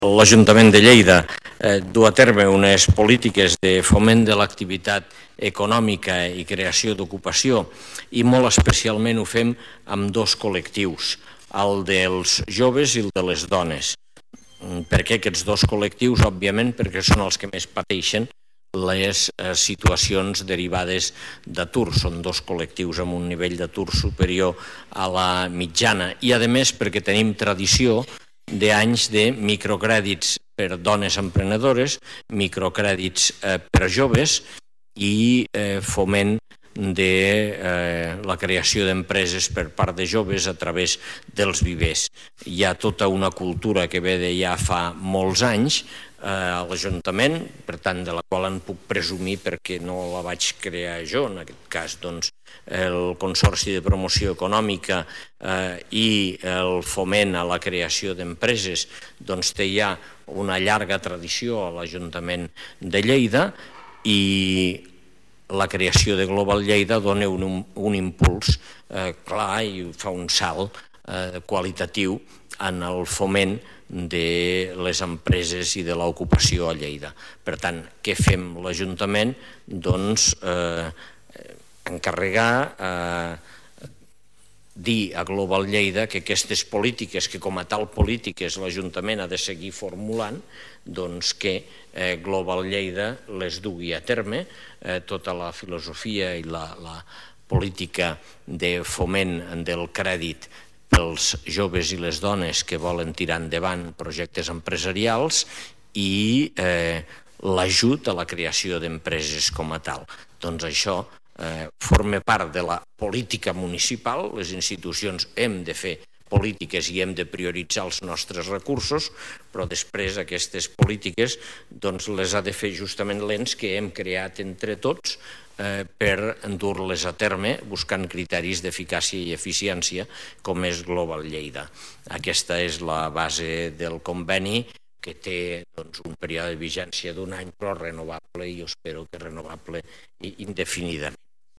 l'Ajuntament de Lleida du a terme unes polítiques de foment de l'activitat econòmica i creació d'ocupació i molt especialment ho fem amb dos col·lectius, el dels joves i el de les dones. Per què aquests dos col·lectius? Òbviament perquè són els que més pateixen les situacions derivades d'atur. Són dos col·lectius amb un nivell d'atur superior a la mitjana i, a més, perquè tenim tradició d'anys de microcrèdits per dones emprenedores, microcrèdits per joves i foment de la creació d'empreses per part de joves a través dels vivers. Hi ha tota una cultura que ve de ja fa molts anys a l'Ajuntament, per tant, de la qual en puc presumir perquè no la vaig crear jo, en aquest cas, doncs, el Consorci de Promoció Econòmica i el foment a la creació d'empreses, doncs té ja una llarga tradició a l'Ajuntament de Lleida i la creació de Global Lleida dona un impuls clar i fa un salt qualitatiu en el foment de les empreses i de l'ocupació a Lleida. Per tant, què fem l'Ajuntament? Doncs encarregar, dir a Global Lleida que aquestes polítiques, que com a tal polítiques l'Ajuntament ha de seguir formulant, doncs que Global Lleida les dugui a terme, tota la filosofia i la política de foment del crèdit pels joves i les dones que volen tirar endavant projectes empresarials i l'ajut a la creació d'empreses com a tal. Doncs això forma part de la política municipal. Les institucions hem de fer polítiques i hem de prioritzar els nostres recursos, però després aquestes polítiques les ha de fer justament l'ens que hem creat entre tots per dur-les a terme buscant criteris d'eficàcia i eficiència com és Global Lleida. Aquesta és la base del conveni que té un període de vigència d'un any però renovable i jo espero que renovable indefinidament.